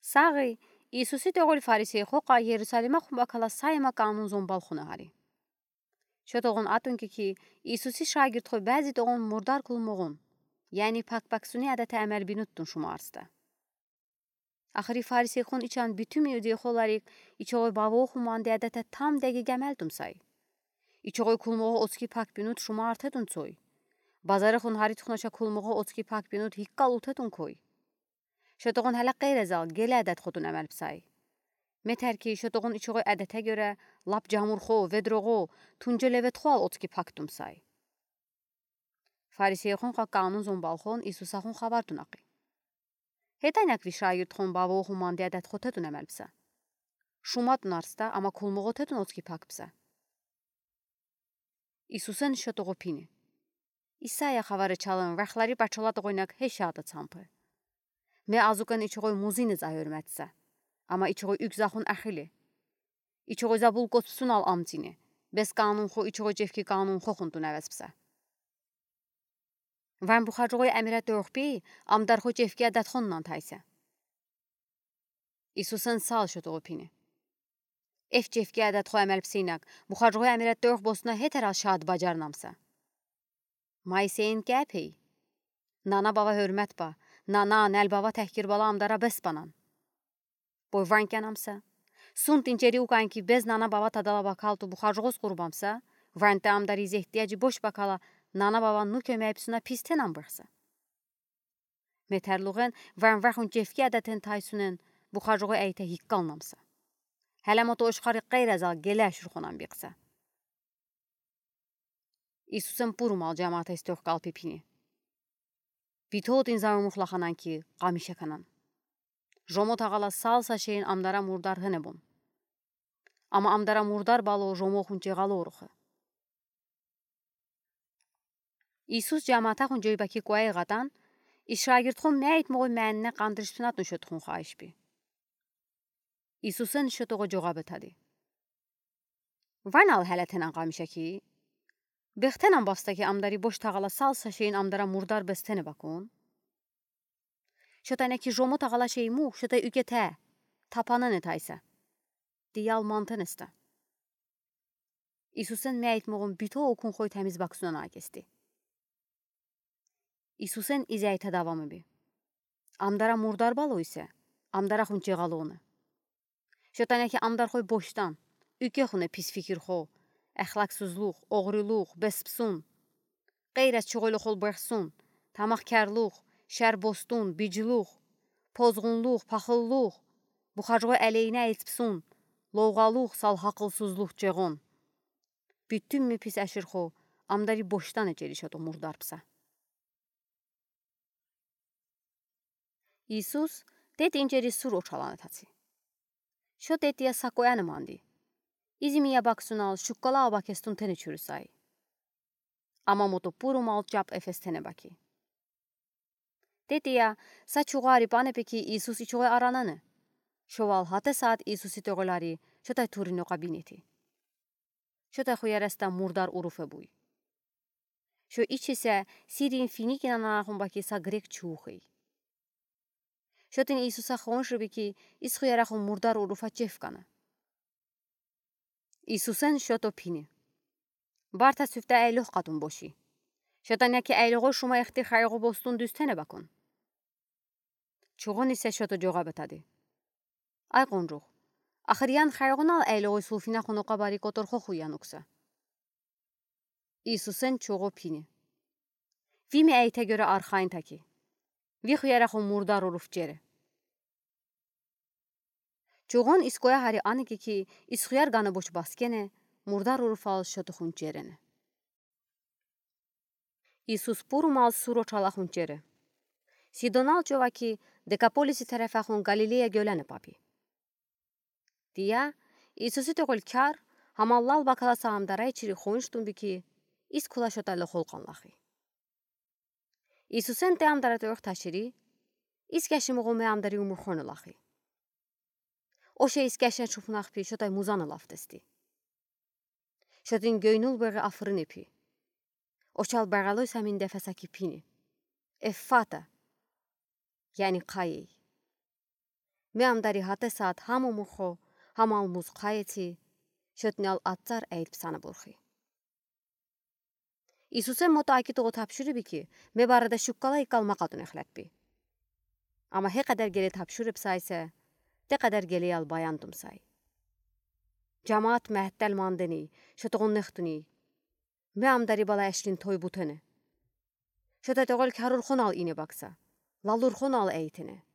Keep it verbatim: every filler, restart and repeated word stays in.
Сағи, Иисуси тоғол фарисейхо ка Иерусалимахон бакала сайма канун зомбалхонэ гьари. Шо тоғон атон ки, Иисуси шагирдхой бязи тоғон мурдар кулмуғун, яни пак-паксуни адете амел бинутдун шумарста. Ахри фарисейхон ичан битим иудейхоларик ичогой бавохон манди адете там деги гамелдумсай. Ичогой кулмуғо оцки пак бинут шумартедун цой. Базарихон гьаридхунаша кулмуғо оцки пак бинут гиккал утедун кой. Шо тоғон гьеле къейрезал геле адетходун амел бисай. Метер ки шо тоғон ичогой адете гёре лап жамурхо, ведроғо, тунжелеведхоал оцки пакдумсай. Фарисейхон ка канун зомбалхон Иисусахон хабардун акъи. Гьетанек ви шагирдхон бавохон манди адетходедун амел биса. Шумадун арста, ама кулмуғотедун оцки пак биса. Иисусен шо тоғо пини. Исая хавари чалын вахлари пачола тоғойнек гье шаада цампы. Ме азукен ичогой музыни за гьёрметса. Ама ичогой уьгзахон ахили. Ичогой забул косп сунал амтини. Бес канунхо ичогой чевки канунхохундун авеспса. Ван бухажугой амира тохпи, амдархо чевки адатхон нан тайса. Иисусен сал шо тоғо пини. Эф чевки адатхо амел псинак, бухажугой амира тох босна гьетерал шаад бажарнамса. Майсейин кяпей. Нана-бава гьёрмет ба, нана, нал-бава тахкир бала амдара бес банан. Бой ван кянамса. Сун тинчери укан ки без нана-бава тадала бакал ту бухажугос къурбамса, ван та амдари зехдияжи бош бакала нана-бава ну кёмяй псуна пис тенам быхса. Метерлуғен ван вахун чевки адатен тайсунен бухажугой айта гиккалнамса. Гьеле мото ошхари къейрезал геле ашурхонан бикса. Иисусен пурумал жамаата истёх калпи пини. Битотин завымух лаханан ки, къамиша канан. Жомо тагала сал са шейин амдара мурдар гене бон. Ама амдара мурдар бало жомохун чеғало урухы. Иисус жамаатахун жойбаки куай гъатан, ис шагирдхон мяйтмуғой мянне къандыришпинатун шотхун хайшпи. Иисусен шо тоғо жоғаб этади. Ванал гьеле тенан къамиша ки, бехтенан баста ки амдари бош тагала сал са шейин амдара мурдар бестене бакун. Шо тайна ки жомо тагала шеймух, шо тай уьгете, тапанене тайса. Диял мантенеста. Иисусен мяйтмуғун бито укун хой тамиз баксунан акести. Иисусен изяйта давамы би. Амдара мурдар бало исе, амдарахун чеғалоны. Шо тайна ки амдархой боштан, уьгехуне пис фикирхо, ахлаксузлух, оғрилух, беспсун. Къейраз чуғойлухол бехсун, тамахкарлух, шарбостун, бижилух, позғунлух, пахыллух, бухажугой алейна элтпсун, лоғалух, сал хақылсузлух чеғон. Битюнми пис аширхо, амдари боштан эчери шо тоғо мурдар бса. Иисус тет инчери сур очалана таци. Шо тет я сакояна манди. Изими я баксунал шуккала абакестун тене чурусай. Ама мото пурумал чап эфес тене баки. Тет я са чугъари панепеки Иисус ичугъай арананы. Шо вал гьате саад Иисуси тоғолари шо тай турин оқа бинети. Шо тай хуяраста мурдар уруфе буй. Шо ичисе Сирин Финикин ананахун баки са грек чуухый. Шо тин Иисуса хонши бики ис хуярахун мурдар уруфа чефкана. Иисусен шо то пини. Барта сюфта айлох къатун боши. Шо тайна ки айлохой шума эхти хайгъо бостун дюстене бакун. Чугъун исе шо то жоғаб этади. Ай къунжух. Ахыриян хайгъунал айлохой сулфинахун оқа бари котор хохуян укса. Иисусен чугъу пини. Ви ми айта гёре архайн таки. Ви хуярахун мурдар уруф чере. Чугъун ис коя гьари аныки ки ис хуяр гана боч баскене, мурдар уруфал шо тухун черене. Иисус пурумал сур очалахун чере. Сидонал човаки Декаполиси тарефахун Галилея гёлане папи. Тия, Иисуси тоғол кар, гьамаллал бакала са амдарай чири хонштун бики, ис кула шо тай лохол къанлахи. Иисусен те амдара тоғ ташири, ис кяшимуғу ме амдари умурхону лахи. Оше ис кяшен шупунах пи шо тай музаны лафтести. Шо тин гёйнул бери афрыны пи. Очал баралой самин дефеса ки пини. Эффата. Яни къайей. Ме амдари гатэ саад хаму мухо, хамал муз хайети, шотнал ацар эйлпсана бурхи. Иисусэ мото акитуго табшуриби ки, ме барада шуккала икал ма катун эхлэдби. Ама хе кадер геле табшуриб сайсэ, те кадер гелиял баяндум сай. Жамаат мэттэл мандыни, шотогон нэхтуни. Ме амдари бала эшлин той бутене. Шота тогол кярурхунал ине бакса, лалурхунал эйтене.